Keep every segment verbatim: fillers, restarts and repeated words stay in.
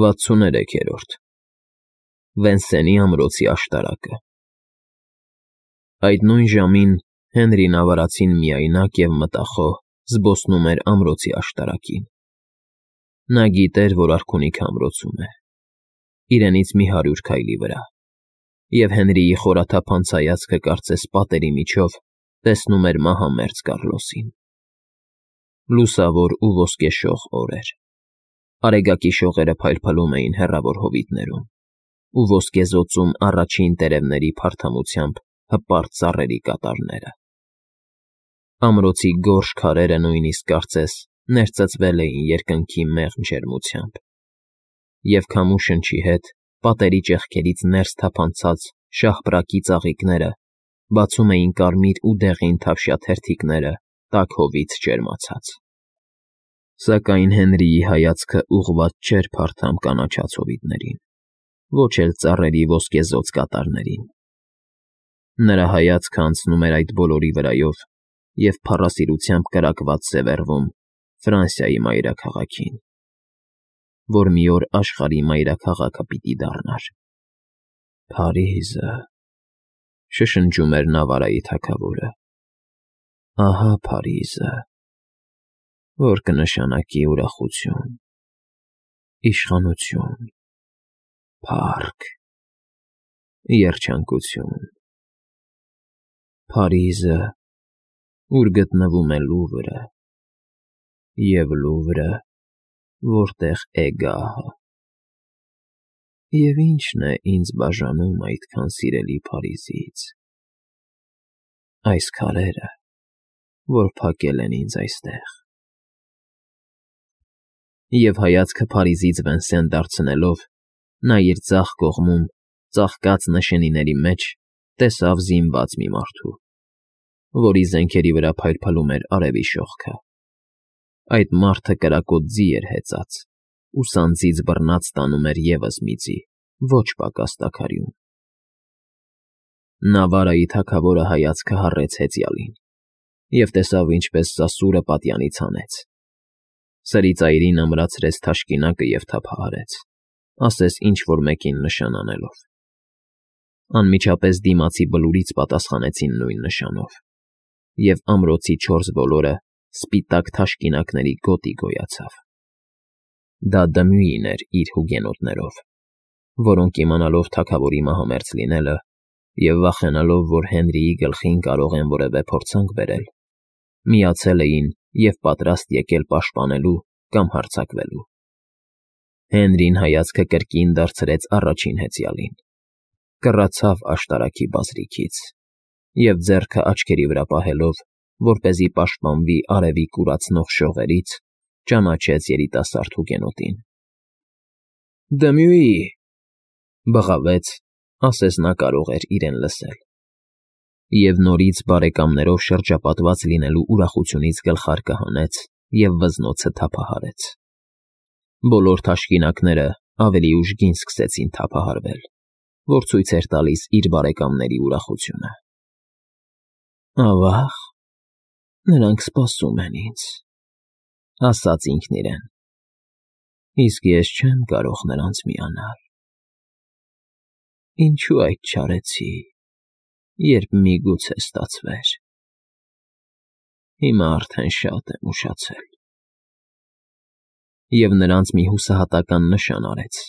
վաթսուներեքերորդ Վենսենի ամրոցի աշտարակը Այդ նույն ժամին Հենրին ավարածին միայնակ և մտախոհ զբոսնում էր ամրոցի աշտարակին։ Նա գիտեր, որ արքունիքը ամրոցում է, իրենից մի հարյուր քայլի վրա, և Հենրիի խորաթափանց հայացքը կարծես պատերի միջով տեսնում էր մահամերձ Կառլոսին։ Լուսավոր ու ոսկեշող օր էր։ Արեգակի շողերը փայլփլում էին հեռավոր հովիտներում, ու ոսկեզօծում առաջին տերևների փարթամությամբ հպարտ ծառերի կատարները։ Ամրոցի գորշ քարերը նույնիսկ կարծես ներծծվել էին երկնքի մեղմ ջերմությամբ, և քամու շնչի հետ պատերի ճեղքերից ներս թափանցած շաղպրակի ծաղիկները բացում էին կարմիր ու դեղին թավշյա թերթիկները տաք հովից ջերմացած։ Սակայն Հենրիի հայացքը ուղղված չէր փարթամ կանաչած հովիտներին, ոչ էլ ծառերի ոսկեզօծ կատարներին։ Նրա հայացքը անցնում էր այդ բոլորի վրայով և փառասիրությամբ կրակված սևեռվում Ֆրանսիայի մայրաքաղաքին, որ մի օր աշխարհի մայրաքաղաքը պիտի դառնար։ Փարիզը, շշնջում էր Նավարայի թագավորը, ահա Փարիզը, որ կնշանակի ուրախություն, իշխանություն, փառք, երջանկություն, Փարիզը, ուր գտնվում է Լուվրը, և Լուվրը, որտեղ է գահը։ Եվ ի՞նչն է ինձ բաժանում այդքան սիրելի Փարիզից։ Այս քարերը, որ փակել են ինձ այստեղ։ Եվ հայացքը Փարիզից Վենսեն դարձնելով, նա իր ձախ կողմում, ծաղկած նշանիների մեջ, տեսավ զինված մի մարդու, որի զենքերի վրա փայլփլում էր արևի շողքը։ Այդ մարդը կրակոտ ձի էր հեծած, ու սանձից բռնած տանում էր ևս մի ձի, ոչ պակաս տաքարյուն։ Նավարայի թագավորը հայացքը հառեց հեծյալին և տեսավ, ինչպես սասուրը պատյանից հանեց։ Սրի ծայրին ամրացրեց թաշկինակը և թափահարեց, ասես ինչ֊որ մեկին նշան անելով։ Անմիջապես դիմացի բլուրից պատասխանեցին նույն նշանով, և ամրոցի չորս ոլորը սպիտակ թաշկինակների գոտի գոյացավ։ Դա Դմյուին էր իր հուգենոտներով, որոնք, իմանալով թագավորի մահամերձ լինելը և վախենալով, որ Հենրիի գլխին կարող են որևէ փորձանք բերել, միացել էին և պատրաստ եկել պաշտպանելու կամ հարձակվելու։ Հենրին հայացքը կրկին դարձրեց առաջին հեծյալին, կռացավ աշտարակի բազրիքից և ձեռքը աչքերի վրա պահելով, որպեսզի պաշտպանվի արևի կուրացնող շողերից, ճանաչեց երիտասարդ հուգենոտին։ Դմյուի, բղավեց, ասես նա կարող էր իրեն լսել, և նորից բարեկամներով շրջապատված լինելու ուրախությունից գլխարկը հանեց և վզնոցը թափահարեց։ Բոլոր թաշկինակները ավելի ուժգին սկսեցին թափահարվել, որ ցույց էր տալիս իր բարեկամների ուրախությունը։ Ավա՜ղ, նրանք սպասում են ինձ, ասաց ինքն իրեն, իսկ ես չեմ կարող նրանց միանալ։ Ինչու այդ չարեցի, երբ միգուցե ստացվեր։ Հիմա արդեն շատ եմ ուշացել։ Եվ նրանց մի հուսահատական նշան արեց,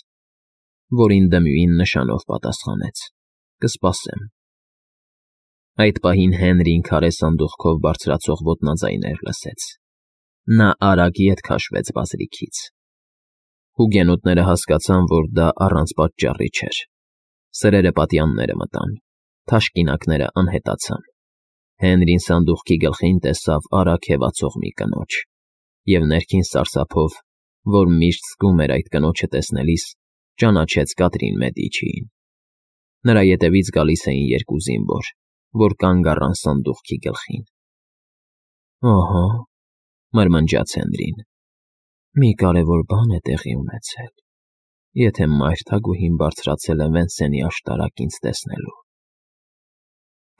որին Դմյուին նշանով պատասխանեց. կսպասեմ։ Այդ պահին Հենրին քարե սանդուղքով բարձրացող ոտնաձայներ լսեց։ Նա արագ ետ քաշվեց բազրիքից։ Հուգենոտները հասկացան, որ դա առանց պատճառի չէր։ Սրերը պատյանները մտան, թաշկինակները անհետացան։ Հենրին սանդուղքի գլխին տեսավ արագ հևացող մի կնոջ, և ներքին սարսափով, որ միշտ զգում էր այդ կնոջը տեսնելիս, ճանաչեց Կատրին Մեդիչիին։ Նրա ետևից գալիս էին երկու զինվոր, որ կանգ առան սանդուղքի գլխին։ Օհո, մրմնջաց Հենրին, մի կարևոր բան է տեղի ունեցել, եթե մայր թագուհին բարձրացել է Վենսենի աշտարակ ինձ տեսնելու։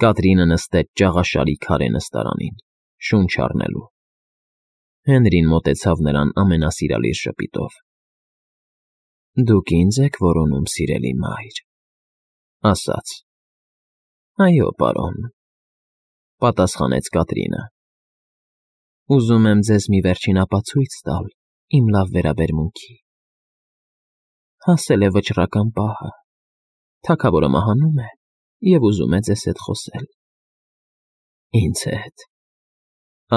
Կատրինը նստեց ճաղաշարի քարե նստարանին, շունչ առնելու։ Հենրին մոտեցավ նրան ամենասիրալիր ժպիտով։ Դուք ինձ եք որոնում, սիրելի մայր, ասաց։ Այո, պարոն, պատասխանեց Կատրինը։ Ուզում եմ ձեզ մի վերջին ապացույց տալ իմ լավ վերաբերմունքի։ Հասել է վճռական պահը, թագավորը մահանում է և ուզում է ձեզ հետ խոսել։ Ինձ հետ,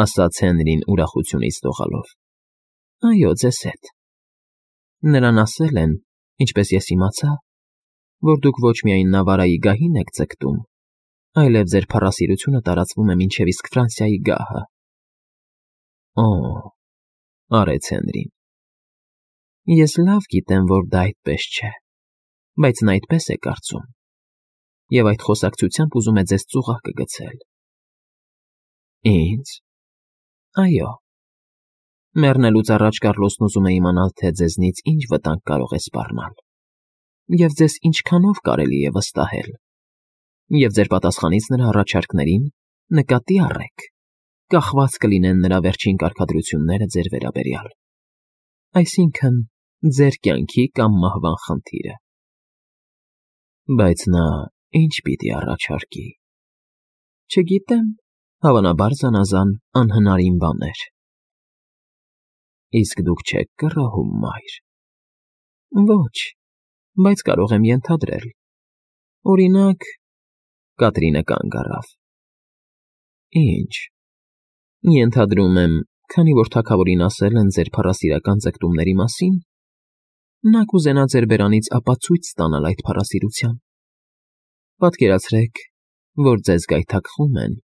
ասաց Հենրին ուրախությունից դողալով։ Այո, ձեզ հետ։ Նրան ասել են, ինչպես ես իմացա, որ դուք ոչ միայն Նավարայի գահին եք ձգտում, այլև ձեր փառասիրությունը տարածվում է մինչև իսկ Ֆրանսիայի գահը։ Օ, արեց Հենրին։ Ես լավ գիտեմ, որ դա այդպես չէ, բայց նա այդպես է կարծում, և այդ խոսակցությամբ ուզում է ձեզ ծուղակը գցել։ Ինձ։ Այո։ Մեռնելուց առաջ Կառլոսն ուզում է իմանալ, թե ձեզնից ինչ վտանգ կարող է սպառնալ, և ձեզ ինչքանով կարելի է վստահել, և ձեր պատասխանից նրա առաջարկներին նկատի առեք, կախված կլինեն նրա վերջին կարգադրությունները ձեր վերաբերյալ, այսինքն՝ ձեր կյանքի կամ մահվան խնդիրը։ Բայց նա ինչ պիտի առաջարկի։ Չգիտեմ, հավանաբար զանազան անհնարին բաներ։ Իսկ դուք չեք կռահում, մայր։ Ոչ, բայց կարող եմ ենթադրել։ Օրինակ, Կատրինը կանգ առավ։ Ինչ։ Ենթադրում եմ, քանի որ թագավորին ասել են ձեր փառասիրական ձգտումների մասին, նա կուզենա ձեր բերանից ապացույց ստանալ այդ փառասիրության։ Պատկերացրեք, որ ձեզ գայթակղում են,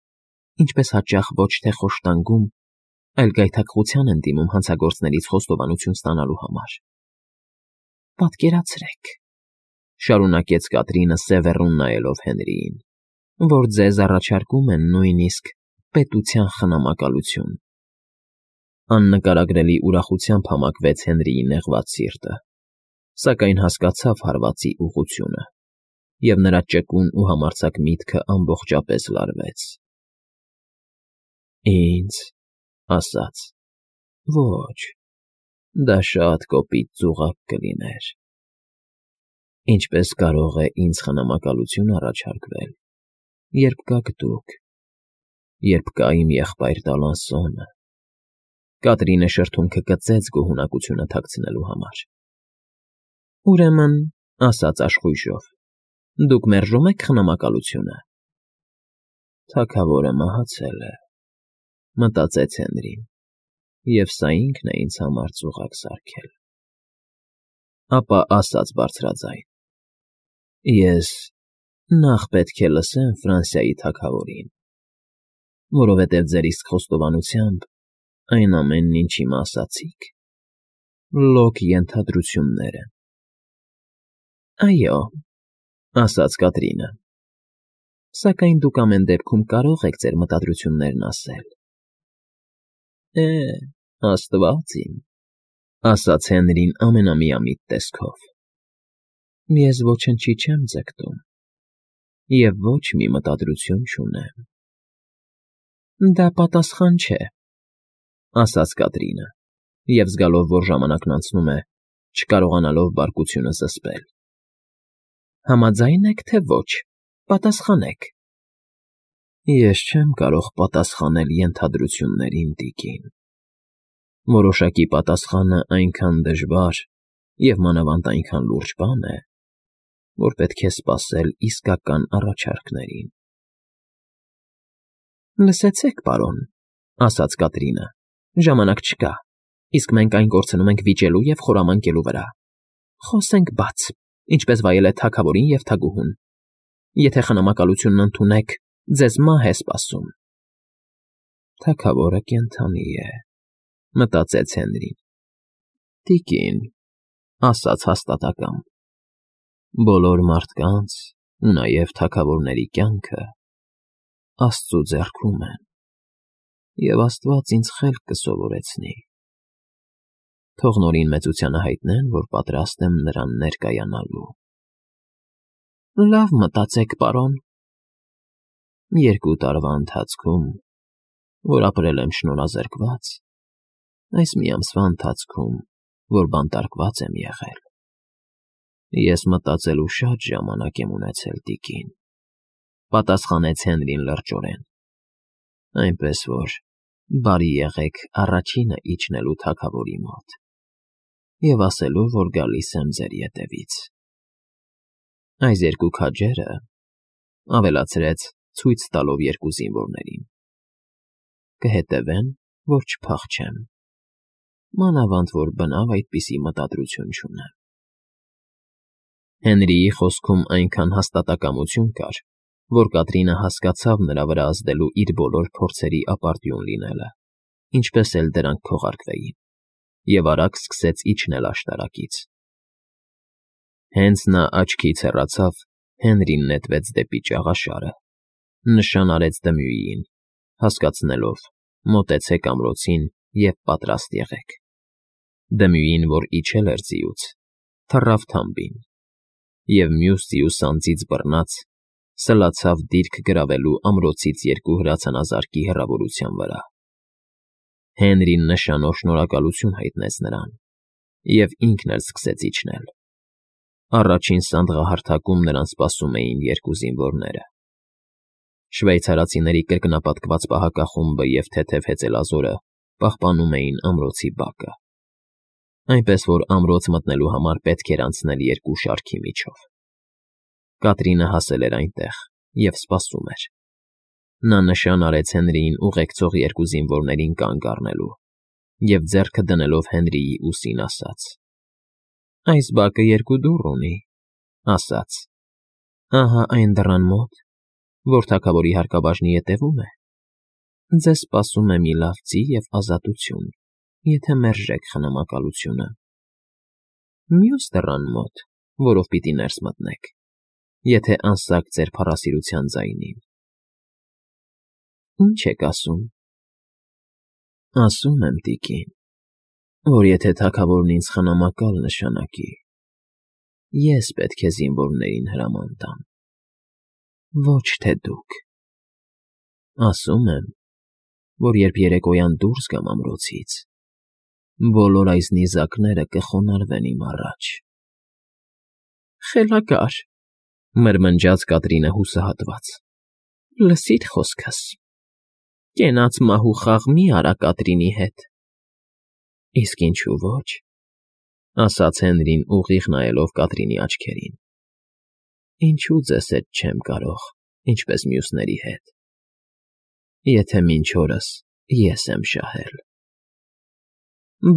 ինչպես հաճախ ոչ թե խոշտանգում, այլ գայթակղության են դիմում հանցագործներից խոստովանություն ստանալու համար։ Պատկերացրեք, շարունակեց Կատրինը սևեռուն նայելով Հենրիին, որ ձեզ առաջարկում են նույնիսկ պետության խնամակալություն։ Աննկարագրելի ուրախությամբ համակվեց Հենրիի նեղված սիրտը, սակայն հասկացավ հարվածի ուղղությունը, և նրա ճկուն ու համարձակ միտքը ամբողջապես լարվեց։ Ինձ, ասաց, ոչ, դա շատ կոպիտ ծուղակ կլիներ։ Ինչպես կարող է ինձ խնամակալություն առաջարկվել, երբ կաք դուք, երբ կա իմ եղբայր Դալանսոնը։ Կատրինը շրթունքը կծեց գոհունակությունը թաքցնելու համար։ Ուրեմն, ասաց աշխույժով, դուք մերժում եք խնամակալությունը։ Թագավորը մահացել է, մտածեց Հենրին, և սա ինքն է ինձ համար ծուղակ սարքել։ Ապա ասաց բարձրաձայն. Ես նախ պետք է լսեմ Ֆրանսիայի թագավորին, որովհետև ձեր իսկ խոստովանությամբ այն ամենն, ինչ հիմա ասացիք, լոկ ենթադրություններ են։ Այո, ասաց Կատրինը, սակայն դուք ամեն դեպքում կարող եք ձեր մտադրություններն ասել։ Է, աստված իմ, ասաց Հենրին ամենամիամիտ տեսքով։ Ես ոչնչի չեմ ձգտում, և ոչ մի մտադրություն չունեմ։ Դա պատասխան չէ, ասաց Կատրինը, և զգալով, որ ժամանակն անցնում է, չկարողանալով բարկությունը զսպել։ Համաձայն եք, թե ոչ, պատասխանեք։ Ես չեմ կարող պատասխանել ենթադրություններին, տիկին։ Որոշակի պատասխանը այնքան դժվար և մանավանդ այնքան լուրջ բան է, որ պետք է սպասել իսկական առաջարկներին։ Լսեցեք, պարոն, ասաց Կատրինը, ժամանակ չկա, իսկ մենք այն կորցնում ենք վիճելու և խորամանկելու վրա։ Խոսենք բաց, ինչպես վայել է թագավորին և թագուհուն։ Եթե խնամակալությունն ընդունեք, ձեզ մահ է սպասում։ Թագավորը կենդանի է, մտածեց Հենրին։ Տիկին, ասաց հաստատակամ, բոլոր մարդկանց ու նաև թագավորների կյանքը Աստծու ձեռքում են, և Աստված ինձ խելք կսովորեցնի։ Թող Նորին մեծությանը հայտնեն, որ պատրաստ եմ նրան ներկայանալու։ Լավ մտածեք, պարոն։ Երկու տարվա ընթացքում, որ ապրել եմ շնորհազրկված, այս մի ամսվա ընթացքում, որ բանտարկված եմ եղել, Ես մտածելու շատ ժամանակ եմ ունեցել, տիկին,֊ պատասխանեց Հենրին լրջորեն,֊ այնպես որ բարի եղեք առաջինը իջնելու թագավորի մոտ և ասելու, որ գալիս եմ ձեր ետևից։ Այս երկու քաջերը,֊ ավելացրեց, ցույց տալով երկու զինվորներին,֊ կհետևեն, որ չփախչեմ, մանավանդ որ բնավ այդպիսի մտադրություն չունեմ։ Հենրիի խոսքում այնքան հաստատակամություն կար, որ Կատրինը հասկացավ նրա վրա ազդելու իր բոլոր փորձերի ապարդյուն լինելը, ինչպես էլ դրանք քողարկվեին, և արագ սկսեց իջնել աշտարակից։ Հենց նա աչքից հեռացավ, Հենրին նետվեց դեպի ճաղաշարը, նշան արեց Դմյուիին, հասկացնելով. մոտեցեք ամրոցին և պատրաստ եղեք։ Դմյուին, որ իջել էր ձիուց, թռավ թամբին և մյուս ձիուց անձից բռնած սլացավ դիրք գրավելու ամրոցից երկու հրացանազարկի հեռավորության վրա։ Հենրին նշանով շնորհակալություն հայտնեց նրան, և ինքն էլ սկսեց իջնել։ Առաջին սանդղահարթակում նրան սպասում էին երկու զինվորները։ Շվեյցարացիների կրկնապատկված պահակախումբը և թեթև հեծելազորը պահպանում էին ամրոցի բակը, այնպես որ ամրոց մտնելու համար պետք էր անցնել երկու շարքի միջով։ Կատրինը հասել էր այնտեղ և սպասում էր։ Նա նշան արեց Հենրիին ուղեկցող երկու զինվորներին կանգ առնելու և ձեռքը դնելով Հենրիի ուսին ասաց. «Այս բակը երկու դուռ ունի, ասաց. ահա այն դռան մոտ, որ թագավորի հարկաբաժնի ետևում է, ձեզ սպասում է մի լավ ձի և ազատություն, եթե մերժեք խնամակալությունը։ Մյուս դռան մոտ, որով պիտի ներս մտնեք, եթե անսակ ձեր փառասիրության ձայնին։ Ի՞նչ եք ասում։ Ասում եմ, տիկին, որ եթե թագավորն ինձ խնամակալ նշանակի, ես պետք է զինվորներին հրաման տամ, ոչ թե դուք։ Ասում եմ, որ երբ երեկոյան դուրս գամ ամրոցից, բոլոր այս նիզակները կխոնարհվեն իմ առաջ»։ «Խելագար,֊ մրմնջաց Կատրինը հուսահատված,֊ լսիր խոսքս. կենաց մահու խաղ մի արա Կատրինի հետ»։ «Իսկ ինչու ոչ,֊ ասաց Հենրին ուղիղ նայելով Կատրինի աչքերին,֊ ինչու ձեզ հետ չեմ կարող, ինչպես մյուսների հետ, եթե մինչ օրս ես եմ շահել»։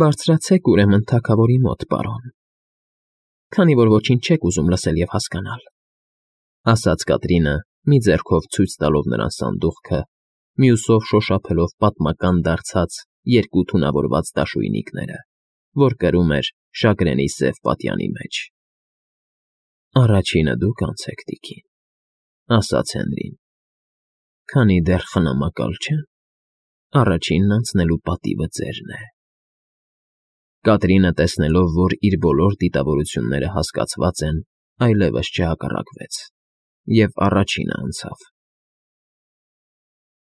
«Բարձրացեք, ուրեմն, թագավորի մոտ, պարոն, քանի որ ոչինչ չեք ուզում լսել և հասկանալ,֊ ասաց Կատրինը, մի ձեռքով ցույց տալով նրան սանդուղքը, մյուսով շոշափելով պատմական դարձած երկու թունավորված դաշույնիկները, որ կրում էր շագրենի սև պատյանի մեջ։ «Առաջինը դուք անցեք, տիկին,֊ ասաց Հենրին,֊ քանի դեռ խնամակալ չեմ, առաջինն անցնելու պատիվը ձերն է»։ Կատրինը, տեսնելով, որ իր բոլոր դիտավորությունները հասկացված են, այլևս չհակառակվեց և առաջինը անցավ։